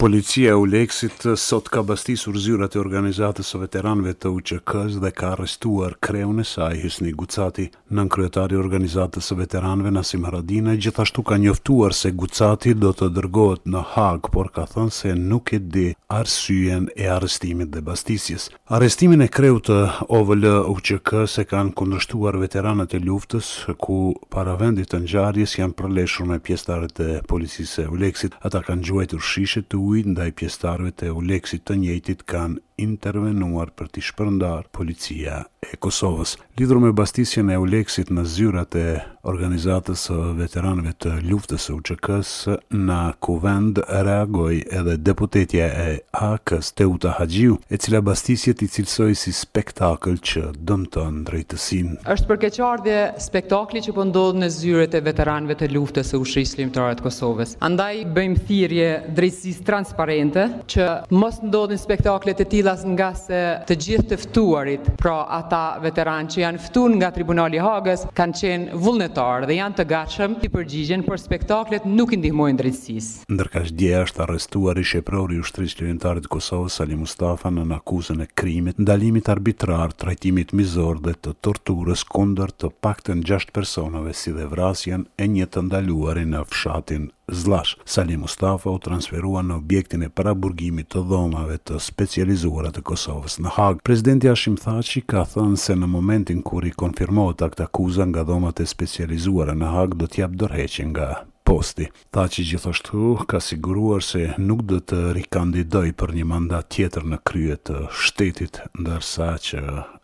Policia e EULEX-it sot ka bastisur zyrat e organizatës së veteranëve të UÇK-së dhe ka arrestuar kreun e saj, Hysni Gucati. Nënkryetari i organizatës së veteranëve, Nasim Haradinaj, gjithashtu ka njoftuar se Gucati do të dërgohet në Hagë, por ka thënë se nuk e di arsyen e arrestimit dhe bastisjes. Arrestimin e kreut të OVL UÇK-së e kanë kundërshtuar veteranët e luftës, ku para vendit të ngjarjes janë përleshur me pjesëtarët e policisë së EULEX-it. Ata kanë gjuajtur shishe të ujit ndaj pjesëtarëve të EULEX-it, të njëjtit kanë intervenuar për t'i shpërndarë policia e Kosovës. Lidhur me bastisjen e EULEX-it në zyrat e Organizatës së Veteranëve të Luftës së UÇK-së, në Kuvend reagoi edhe deputetja e AAK-së, Teuta Haxhiu, e cila bastisjet i cilësoi si spektakël që dëmton drejtësinë. Është për keqardhje spektakli që po ndodh në zyret e veteranëve të luftës së Ushtrisë Çlirimtare të Kosovës. Andaj bëjmë thirrje drejtësisë transparente që mos ndodhin spektakle të tilla ngase të gjithë të ftuarit, pra ata veteranë që janë ftu nga Tribunali i Hagës, kanë qenë vullnetarë dhe janë të gatshëm t'i përgjigjen, por spektaklet nuk i ndihmojnë drejtësisë. Ndërkaq dje është arrestuar ish-eprori i Ushtrisë Çlirimtare të Kosovës, Salih Mustafa, nën akuzën e krimit, ndalimit arbitrar, trajtimit mizor dhe të torturës kundër të paktën gjashtë personave si dhe vrasjen e një të ndaluari në fshatin Zllash. Salih Mustafa u transferua në objektin e paraburgimit të Dhomave të Specializuara të Kosovës në Hagë. Presidenti Hashim Thaçi ka thënë se në momentin kur i konfirmohet aktakuza nga Dhomat e Specializuara në Hagë do të japë dorëheqje nga posti. Thaçi gjithashtu ka siguruar se nuk do të rikandidojë për një mandat tjetër në krye të shtetit, ndërsa që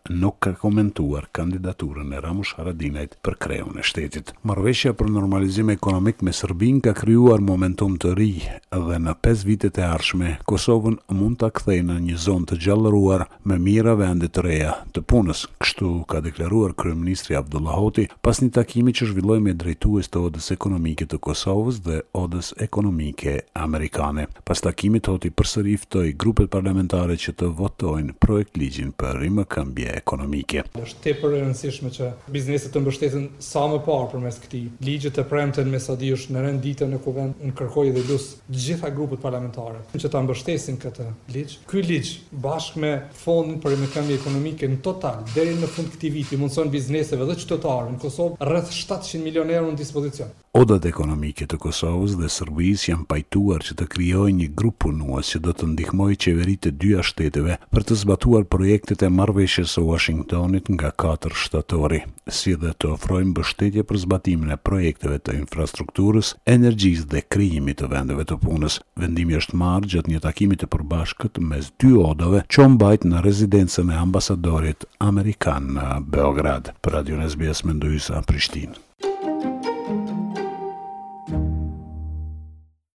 nuk ka komentuar kandidaturën e Ramush Haradinajt për kreun e shtetit. Marrëveshja për normalizim ekonomik me Serbinë ka krijuar momentum të ri dhe në pesë vitet e ardhshme Kosovën mund ta kthejë në një zonë të gjallëruar me mijëra vende të reja të punës, kështu ka deklaruar kryeministri Avdullah Hoti pas një takimi që zhvilloi me drejtues të Odës Ekonomike të Kosovës dhe Odës Ekonomike Amerikane. Pas takimit, Hoti përsëri ftoi grupet parlamentare që të votojnë projektligjin për rimëkëmbje ekonomike. Është tepër e rëndësishme që bizneset të mbështeten sa më parë përmes këtij ligji. Të premten me sa di është në rend dite në Kuvend. Unë kërkoj dhe lus të gjitha grupet parlamentare që ta mbështesin këtë ligj. Ky ligj bashkë me fondin për rimëkëmbje ekonomike në total deri në fund të këtij viti mundëson bizneseve dhe qytetarëve në Kosovë rreth 700 milionë euro në dispozicion. Odat ekonomike të Kosovës dhe Serbisë janë pajtuar që të krijojnë një grup punues që do të ndihmojë qeveritë e dyja shteteve për të zbatuar projektet e Marrëveshjes së Uashingtonit nga katër shtatori, si dhe të ofrojë mbështetje për zbatimin e projekteve të infrastrukturës, energjisë dhe krijimit të vendeve të punës. Vendimi është marrë gjatë një takimi të përbashkët mes dy odave që u mbajt në rezidencën e ambasadorit amerikan në Beograd. Për Radion SBS Mendu Hysa, Prishtinë.